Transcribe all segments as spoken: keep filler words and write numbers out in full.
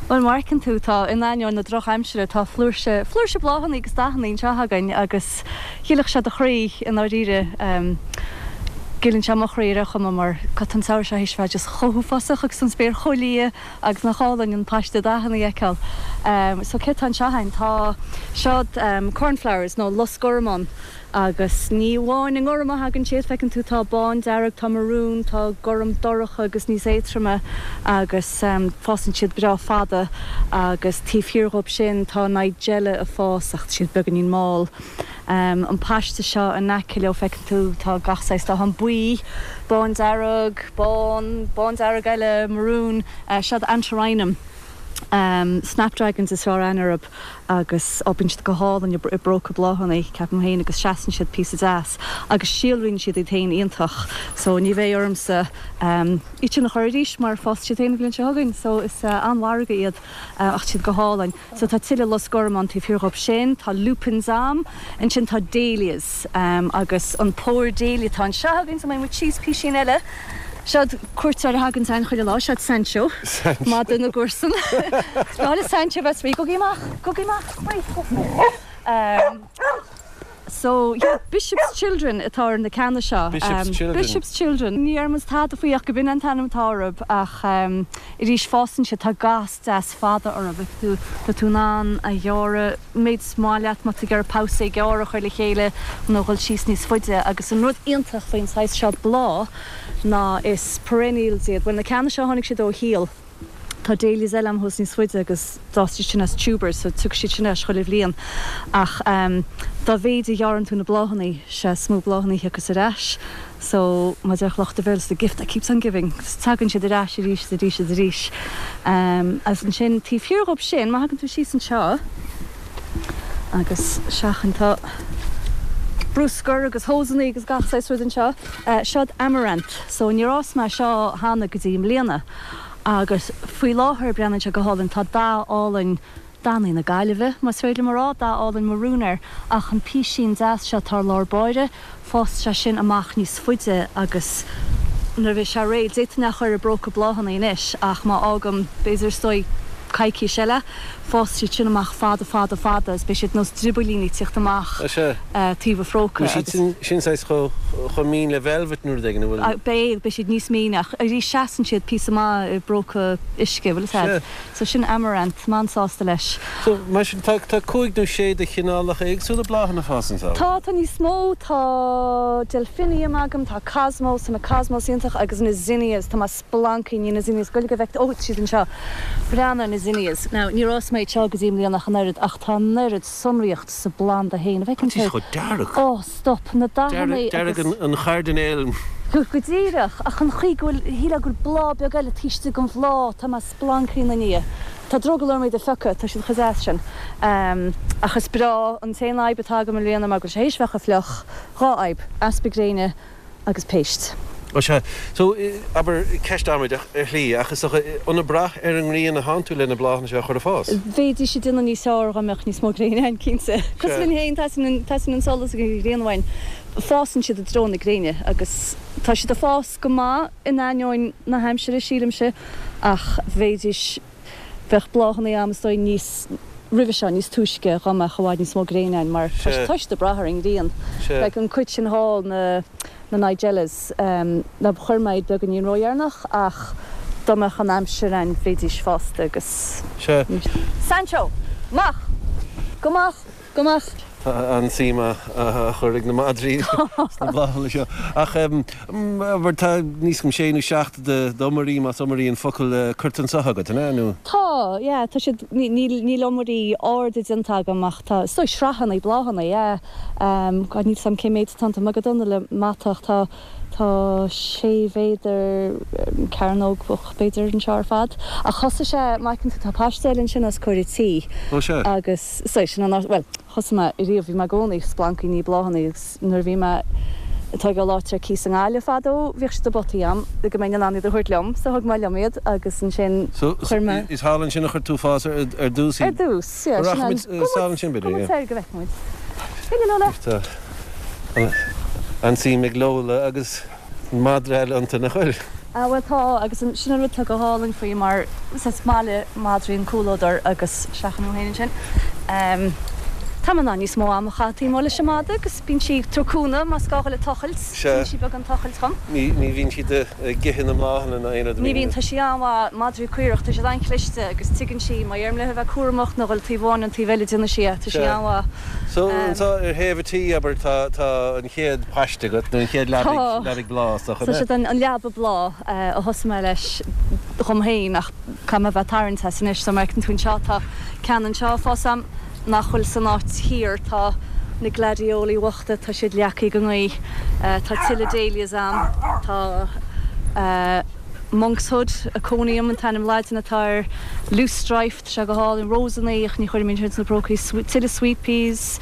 Well mar a fheiceann tú tá in ainneoin na drochaimsire tá flúirse flúirse bláthanna agus dathanna anseo againn agus ghilfeadh sé do chroí i ndáiríre Gileann sé mo chroí ar chuma mar tá an samhradh seo théis bheith just chomh huafásach agus an spéir chomh liath agus nach álainn an paiste dathanna a fheiceáil. Um, so cé tá anseo againn tá seod um, cornflowers nó lus gorm ann agus ní amháin i ngorm a thagann siad feiceann tú tá bándearg, tá marún, tá gorm dorcha agus níos éadroime agus um, fásann siad breá fada agus taobh thiar dhóibh sin tá nigella ag fás ach siad beagáinín mall. Um, an paiste seo in aice leo feiceann tú tá gach saghas dath ann buí, bándearg, bán, bándearg eile, marún, uh, seod antirrhinum. Um, Snapdragons is fearr aithne orthu agus bíonn siad go hálainn i bpróca bláthanna ceapaim féin agus seasann siad píosa deas agus síolraíonn siad iad féin iontach so ní bheidh ormsa um, iad sin a chur arís mar fásfaidh siad féin an bhliain seo chugainn so is uh, an-mhargadh iad uh, ach siad go hálainn. So tá tuilleadh lus gorm ann taobh thiar dhóibh sin, tá lupins a'm, ansin tá dahlias um, agus an pór dahlia tá anseo againn so muid síos píosín eile. Seod cuairteoir a thagann ann chuile lá seod Sancho Madra na gcomharsan. Spáile Sancho bheith rí go amach go amach Um, so yeah, Bishop's Children atá ar na ceanna seo. Bishop's um, Children. Bishop's Children. Ní ar tada faoi ach go b'in an t-ainm atá orthu ach um, arís fásann sé tá gas deas fada orthu tú tá tú in ann a ghearradh méid is maith leat má tá ar pabhsae gearr a chur le chéile nó dhul síos níos faide agus an rud iontach faoin saghas seo bláth ná is perennials iad. Well na ceanna seo tháinig siad ó shíol. Tá dahlias eile a'm thuas níos faide agus d'fhás siad sin as tubers, so tiocfaidh siad sin as chuile bhliain. Ach um, dá mhéid a ghearrann tú na bláthanna sé is mó bláthanna a thiocfas ar ais. So mar a deir lucht an Bhéarla the gift that keeps on giving. Tagann siad ar ais arís arís arís. Um, agus ansin taobh thiar dhóibh sin má thagann tú síos anseo agus seachain tá bruscar agus hósanna agus gach saghas rud anseo. Uh, seod amaranth, so níor fhás mé seo cheana go dtí i mbliana. Agus faoi láthair breathnaíonn sé go hálainn tá dath álainn dathanna na Gaillimhe, más féidir mar rá dath álainn marún air ach an písín deas seo tar lár báire, fás sé sin amach níos faide agus nuair a bheidh sé réidh d'fhéadfainn é a chur i bpróca bláthanna anois ach má fhágaim b'fhéidir is dóigh coicís eile, fás siad sin amach fada fada fada is beidh siad nós drioballíní ag tíocht amach taobh an phróca. Sin sin saghas chomh mín le velvet nó rud éigin an bhfuil? Beidh beidh siad níos míne ach arís seasann siad píosa maith i bpróca uisce, bhfuil a fhios agat? So sin amaranth, mé an-sásta leis. So mar sin tá tá cúig nó sé de chineálacha éagsúla bláthanna ag fás anseo? Tá tá níos mó tá delphinium agam, tá cosmos, tá na cosmos iontach agus na zinnias, tá mé splancaí na zinnias go go bhfeic ó siad anseo. Breathnaigh na zinnias. Now níor fhás mé seo go dtí i mbliana ach an oiread ach tá an oiread sonraíocht sa bplanda féin. Tá siad chomh dearg. Ó stop na dathanna Dearg an chairdinéil. Go go díreach ach an chaoi go bhfuil shílfeá go bhfuil bláth beag eile taobh istigh den bhláth tá mé splancaí ina ndiaidh. Tá drogall orm iad a phiocadh, tá siad chomh deas sin. Um, ach is breá an t-aon fhadhb atá agam i mbliana mar go bhfuil sé théis bheith chomh fliuch, dhá fhadhb, easpa gréine agus péist. Ó sea, so abair ceist amaideach ar shlí ach is dócha an ag brath ar an ngrian atánn tú le na bláthanna seo a chur ag fás? Bheidís ag déanamh níos fearr dá mbeadh níos mó gréine ann cinnte. Cosúil linn féin teastaíonn an solas agus an ghrian uainn. Fásann siad i dtreo na gréine agus tá siad ag fás go maith in ainneoin na haimsire sílimse ach bheidís bheadh bláthanna a'm is dóigh níos roimhe seo níos túisce dá mbeadh i bhfad níos mó gréine ann mar tá siad ag brath ar an ngrian. Like an cuid sin thall na na Nigellas um, na chuir mé iad beagáinín ródheireanach ach dá mbeadh an aimsir ann bheidís fásta agus Sea. Sancho! Amach! Go amach! Go amach! Tá an-suim á chur ag na madraí sna bláthanna seo. Ach abair tá níos cuma sé nó seacht d'iomairí, más iomairí an focal, curtha anseo agat, an ea, nó? Tá, yeah, tá siad, níl iomairí arda déanta agam ach tá, is dóigh sraitheanna bláthanna, yeah. Um, God, níl 's a'm cé méid atá iontu, mé go dona le mata ach tá, tá sé mhéadar cearnógach b'fhéidir anseo ar fad. Ach thosaigh sé, má fheiceann tú, tá paiste eile ansin os comhair an tí. Ó sea. Agus, so, sin an áit, bhuel, thosaigh mé ariamh, bhí mé i gcónaí ag splancaí i ndiaidh bláthanna agus nuair a bhí mé ag tógáil áit ar cíos i nGaillimh fadó, bhíodh siad i bpotaí a'm le go mbeinn in ann iad a thabhairt liom, so thug mé liom iad agus ansin So, chuir mé. is thall ansin a chuir tú fás ar, ar dtús Ar iad? dtús, yeah, sin an. Rachaimid sall ansin b'fhéidir, Go yeah. muid soir go bhfeicfidh muid. B'fhéidir Lola. Tá an-suim ag Lola agus madra eile iontu, nach bhfuil? Ah, bhuel tá, agus sin an rud atá go hálainn faoi mar is maith le madraí an comhluadar agus seachain thú féin ansin. Um, tá mé in ann níos mó ama a chaitheamh taobh amuigh leis an madra agus bíonn sí ag tabhairt cúnamh más gá dhul ag tochailt, bíonn sí beagán tochailt dhom. Ní ní bhíonn siad ag ithe na mbláthanna ná aon rud a Ní bhíonn, bhíonn. tá sí an-mhaith, madraí caorach, tá siad an-chliste agus tuigeann sí má dheirim léi a bheith cúramach nó dhul taobh amháin an taobh eile déanann sí é, tá sí Sea. an-mhaith. So anseo ar thaobh an tí, abair, tá tá an chéad paiste agat nó an chéad leabaidh Tá. leabaidh bláth is dócha, So an ea? siad an an leaba bláth a thosaigh mé leis dhom féin ach caithfidh mé a bheith ag tarraingt as anois so mar fheiceann tú anseo tá ceann anseo ag fás a'm nach bhfuil san áit thiar tá na gladioli bochta tá siad leagtha ag an ngaoth tá tuilleadh dahlias a'm tá monkshood Aconium an t-ainm Laidin atá air loosestrife tá sé go hálainn rósanna ach ní chuirim iad sna prócaí tuilleadh sweet peas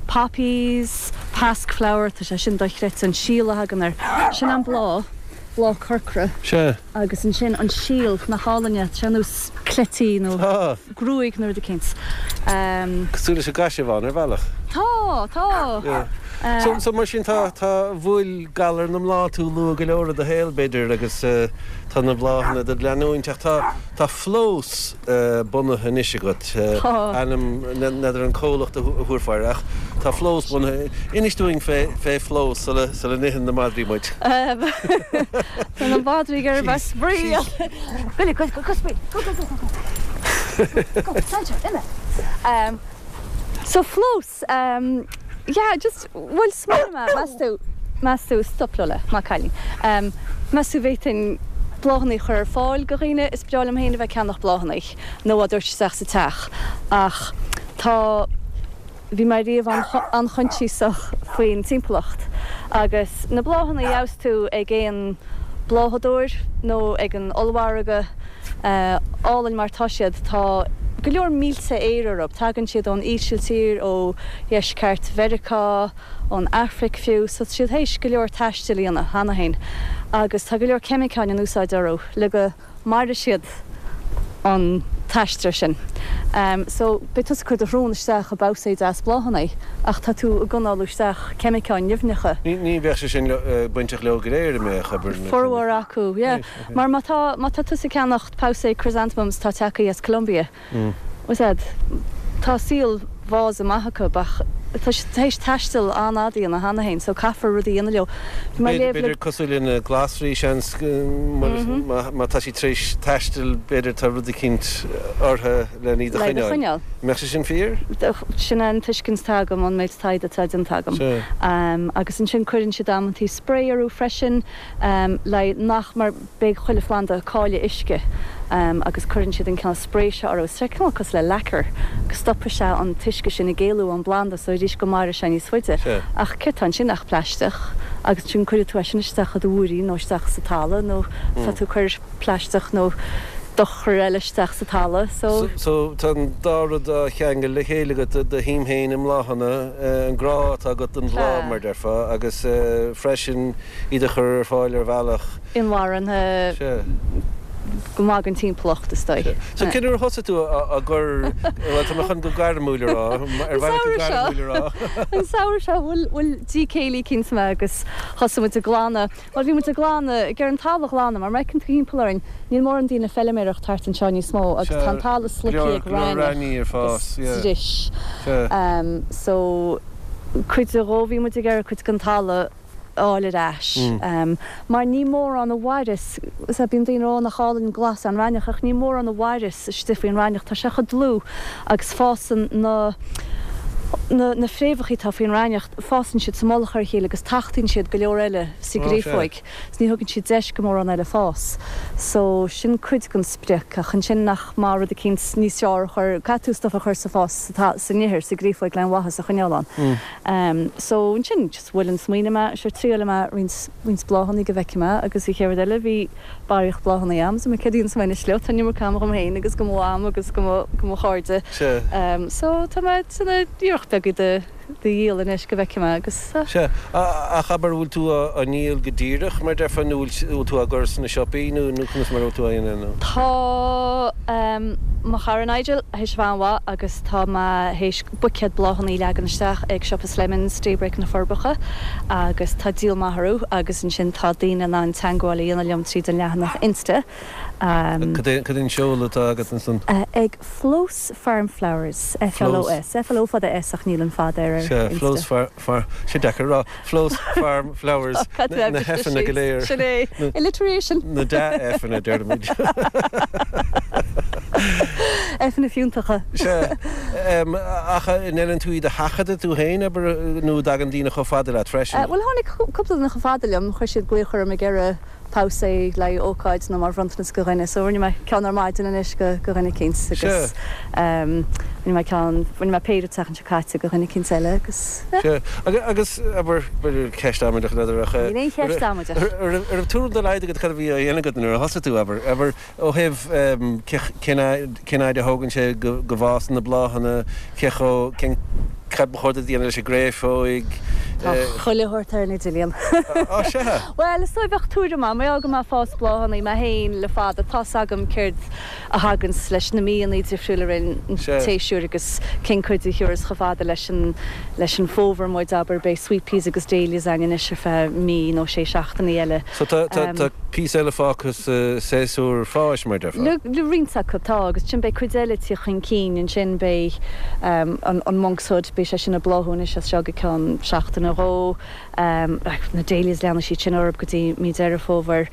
poppies pasque flower tá sé sin dochreidte an síol a thagann air sin an bláth bláth corcra Sea. agus ansin an síol nach álainn é tá sé ar nós cleití nó Tá. gruaig nó rud eicínt. Um, Cosúil leis an gcaisearbhán ar bhealach. Tá, tá. Yeah. So, so mar sin tá tá bhuail galar na mbláthanna tú luath go leor i do shaol b'fhéidir agus uh, tá na bláthanna do leanúint ach tá tá Flós uh, bunaithe anois agat uh, Tá. ainm n'fheadar an comhlacht a thabharfá air ach tá Flós bunaithe. Inis dúinn fé fé Flós sula sula n-itheann na madraí muid. Um, Tá na madraí ar bheith spraoi. Go go go go spraoi. Go go go go go. Go, Sancho, imigh. Um, so Flós, um, yeah, just bhuel smaoinigh mé, meas tú meas tú stop Lola, maith cailín. Um, meas tú bhféadfainn bláthanna a chur ar fáil go dhaoine is breá liom féin a bheith ag ceannach bláthanna nó a dtabhairt isteach sa teach ach tá bhí mé riamh an-choinsiasach faoin timpeallacht agus na bláthanna a gheobhas tú ag aon bláthadóir nó ag an ollmhargadh uh, álainn mar tá siad tá go leor mílte aer orthu, tagann siad ón Ísiltír ó dheisceart Mheiriceá, ón Afraic fiú, so siad théis go leor taistil a dhéanamh cheana féin. Agus tá go leor ceimiceáin in úsáid orthu le go maire siad an t-aistear sin. Um, so beidh tusa ag cur do shrón isteach i babhsa deas bláthanna ach tá tú ag análú isteach ceimiceáin nimhneacha. Ní ní bheadh sé sin uh, bainteach leo go léir mé chaber. Formhór acu, yeah. Mar má tá má tá tusa ag ceannacht pabhsae chrysanthemums tá tagtha as Colombia. Mm. Was that tá saol vása maith acu ach tá théis taisteal an-fhada a dhéanamh cheana féin, so caithfear rudaí a dhéanamh leo. Bhí mé léamh le B'fhéidir cosúil le na glasraí seans má tá sí tréis taisteal b'fhéidir tá rud eicínt orthu le iad a le choinneáil. choinneáil. Mbeadh sé sin fíor? Sin an tuiscint atá agam an méid taighde atá déanta agam. Sea. Um, agus ansin cuireann siad amantaí spray orthu freisin um, le nach mar beidh chuile phlanda ag cailleadh uisce um, agus cuireann siad an cineál spray seo orthu sé cineál cosúil le lacquer go stopfaidh sé an t-uisce sin ag éalú ón bplanda so arís go mairfidh sé níos faide. Sea. Ach céard atá ansin ach plaisteach agus sin cuireann tú é sin isteach i do mhúirín nó isteach sa talamh nó tá tú ag cur plaisteach nó dochar eile isteach sa talamh so So, so tá an dá rud á cheangal le chéile agat do shuim féin i mbláthanna an grá atá agat don bhláth Sea. mar déarfá agus uh, freisin iad a chur ar fáil ar bhealach. Inmharthana Sea. go maith don timpeallacht is dóigh. So cén uair a thosaigh tú a gur well, tá mé chun go gairmiúil a rá ar bhealach go samhradh seo. gairmiúil a rá. An samhradh seo bhuail bhuail díth céille eicínt mé agus thosaigh muid ag glanadh. Well bhí muid ag glanadh ag an talamh a ghlanadh mar má fheiceann tú timpeall orainn níl mórán daoine ag feilméaracht thart anseo níos mó agus Sea, tá an talamh slogtha ag go leor raithneach raithní ar fás, agus yeah. dris. Sea. Um, so cuid de dhó bhí muid ag iarraidh cuid den talamh a fháil ar ais. Mm. Um, mar ní mórán a mhaireas sa bíonn daoine rá nach álainn glas an raithneach ach ní mórán a mhaireas istigh faoin raithneach tá sé chomh dlúth agus fásann na na, na fréamhacha atá faoin raithneach fásann siad sa mullach ar a chéile agus tachtaíonn siad go leor eile sa Ó, gcréafóig. So ní thugann siad deis go mórán eile fás. So sin cuid den sprioc ach ansin nach maith rud eicínt níos fearr a chur caithfidh tú stuff a chur sa fás sa sa ithir sa gcréafóig le maitheas a choinneáil ann. Mm. Um, so ansin just bhuail an smaoineamh mé sure triailfidh mé roinnt roinnt bláthanna go bhfeicfidh mé agus an chéad rud eile bhí barraíocht bláthanna agam, so mé céad sa mé slio tá iomarca ama agam féin agus go mo am agus go mo go mo chairde. Sea. Um, so tá mé san iarracht beag de de dhíol anois go bhfeicfidh mé agus uh, Sea, ach abair bhfuil tú á ndíol go díreach mar déarfá nó bhfuil tú á gcur sna siopaí nó nó conas mar tú á dhéanamh nó? Tá um, mo chara Nigel théis a bheith an-mhaith agus tá mé théis buicéad bláthanna a leagan isteach ag siopa Slemons, Daybreak na Forbacha agus tá díol maith orthu agus ansin tá daoine in ann teagmháil a dhéanamh liom tríd an leathanach Insta. Cad é an seoladh atá agat ansan? Ag Flos Farm Flowers, F L O S, F L O fada S ach níl an fada ar Sea, Insta. Flos Far, Far, sé deacair a rá, Flos Farm Flowers, na F-anna go léir. Sin é, alliteration. Na dea-F-anna, deirimid. F-anna fiúntacha. Sea, ach an ndéanann tú iad a sheachadadh tú féin, abair, nó dtagann daoine chomh fada leat freisin? Bhuel, tháinig cúpla duine chomh fada liom, chuir siad glaoch orm ag iarraidh pabhsae le haghaidh ócáid nó mar bhronntanas go dhuine, so rinne mé ceann ar maidin anois go go dhuine eicínt agus rinne mé ceann, rinne mé péire an tseachtain seo caite go dhuine eicínt eile agus yeah. Sea, agus abair, b'fhéidir ceist amaideach n'fheadar ach Níl aon cheist amaideach. An raibh tuairim dá laghad agat cad a bhí á dhéanamh agat nuair a thosaigh tú, abair, abair ó thaobh cén cén fhaid a thógann sé go go bhfásann na bláthanna, cé chomh, cén cad ba chóir duit a dhéanamh leis an gcréafóig? Tá chuile shórt ar an idirlíon. Á sea? Bhuel, is dóigh bheadh tuairim agam, mar go mé ag fás bláthanna mé féin le fada, tá's agam céard a thaganns leis na míonna difriúla ar an tséasúr agus cén cuid a thiúrfas chomh fada leis an leis an bhfómhar muid, abair, beidh sweet peas agus dahlias againn anois ar feadh mí nó sé seachtainí eile. So tá tá tá píosa eile fágtha sa séasúr fáis, mar déarfá? Le le roinnt acu, tá, agus ansin beidh cuid eile ag tíocht chun cinn, ansin beidh an an monkshood, beidh sé sin ag bláthú anois as seo go ceann seachtain nó dhó, na dahlias leanfaidh siad sin orthu go dtí mí Deireadh Fómhair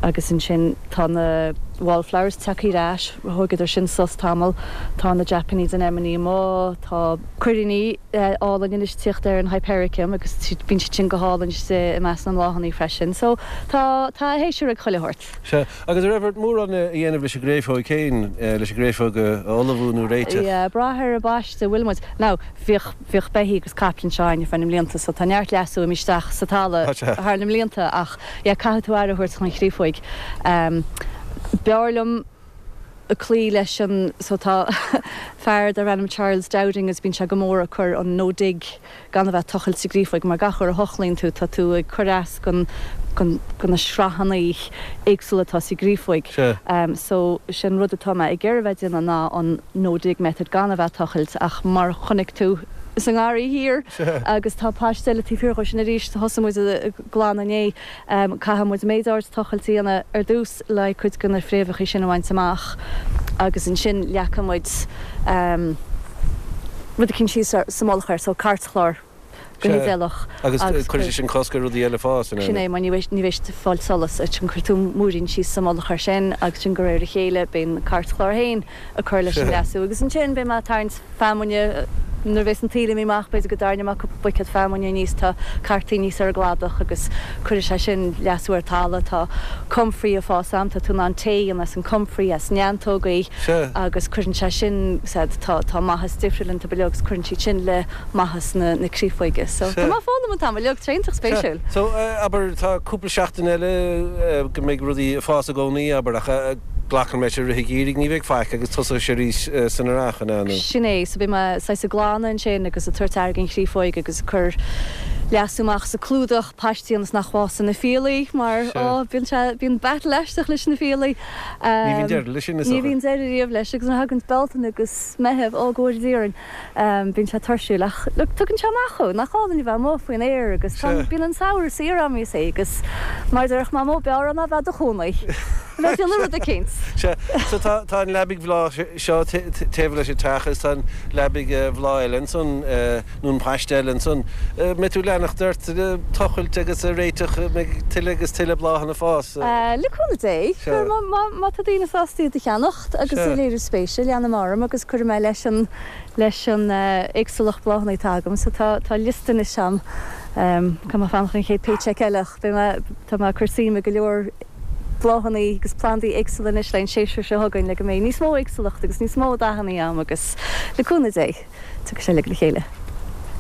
agus ansin tá na wallflowers tagtha ar ais, thógadar sin sos tamall, tá na Japanese anemone amuigh, tá cuiríní álainn anois ag tíocht ar an hypericum agus bíonn siad sin go hálainn istigh i measc na mbláthanna freisin. So tá tá séasúr ag chuile shórt. Sea, agus an raibh ort mórán a dhéanamh leis an gcréafóig féin, leis an gcréafóg a ullmhú nó réiteach? Yeah, brath ar an bpaiste a bhfuil muid. Now, bhíodh, bhíodh beithígh agus caiple anseo againn ar feadh na mblianta so tá neart leasú imithe isteach sa talamh thar na mblianta ach yeah, caithfidh tú aire a thabhairt don chréafóig. B'fhearr liom cloí leis an, so tá fear darb ainm Charles Dowding agus bíonn sé go mór ag cur an no dig gan a bheith ag tochailt sa gcréafóig mar gach uair a thochlaíonn tú tá tú ag cur as gon gon go na sraitheanna éagsúla atá sa gcréafóig. So sin rud atá mé ag iarraidh a bheith ag déanamh ná an no dig method gan a bheith ag tochailt ach mar chonaic tú sa ngarraí thiar agus tá paiste eile taobh thiar dhó sin arís, thosaigh muid ag glanadh inné, caithfidh muid méid áirid tochailt a dhéanamh ar dtús le cuid de na fréamhacha sin a bhaint amach agus ansin leagfaidh muid rud eicínt síos sa mullach air, so cairtchlár go hidéalach. Agus cuirfidh sé sin cosc ar rudaí eile fás, an ea? Sin é, mar ní bheidh ní bheidh siad ag fáil solas, ansin cuirfidh tú múirín síos sa mullach air sin agus sin de réir a chéile beidh an cairtchlár féin ag cur leis an leasú agus ansin beidh mé ag tarraingt feamainne nuair a bheas an taoille imithe amach b'fhéidir go dtarraingeoidh mé cúpla buicéad feamainne aníos, tá cartaí aníos ar an gcladach agus cuirfidh sé sin leasú ar talamh, tá comfrey ag fás a'm, tá tú in ann tae a dhéanamh as an comfrey, as neantógaí agus cuireann sé sin, said, tá tá maitheas difriúil iontu uilig agus cuireann siad sin le maitheas na na créafóige. So tá mé ag foghlaim an t-am uilig, tá sé iontach spéisiúil. So abair tá cúpla seachtain eile go mbeidh rudaí ag fás i gcónaí abair ach glacaim leis i rith an gheimhridh ní bheidh faic agus tosóidh sé arís san earrach, an ea nó? Sin é, so beidh mé saghas ag glanadh ansin agus ag tabhairt aire don chréafóig agus ag cur leasú amach sa clúdach paistí ionas nach bhfásann na fiailí mar ó bíonn sé, bíonn battle aisteach leis na fiailí. Ní bhíonn deireadh leis sin is Ní dócha. bhíonn deireadh riamh leis agus nuair a thagann Bealtaine agus Meitheamh, ó go bhfóire Dia orainn. Bíonn sé tuirsiúil ach look tugann sé amach thú, nach álainn a bheith amuigh faoin aer agus tá, bíonn an samhradh saor agam is é agus mar a déarfadh Mamó b'fhearr ná bheith i do chónaí, a bheith ag déanamh rud eicínt. Sea, so tá, tá an leabaidh bhláth seo taobh leis an teach agus tá an leabaidh bhláth eile ansan, nó an paiste eile ansan. Mbeidh tú ag leanacht ort ag tochailt agus ag réiteach, mbeidh tuilleadh agus tuilleadh bláthanna ag fás? Le cúnamh Dé, Sea. má, má tá daoine sásta iad a cheannacht agus Sea. ag léiriú spéise, leanfaidh mé orm agus cuirfidh mé leis an, leis an éagsúlacht bláthanna atá agam. So tá, tá liosta anois agam. Caithfidh mé fanacht an chéad paycheck eile ach beidh mé, tá mé ag cur suim i go leor bláthanna agus plandaí éagsúla anois le an séasúr seo chugainn le go mbeidh níos mó éagsúlacht agus níos mó dathanna agam agus le cúnamh Dé, tiocfaidh sé uilig le chéile.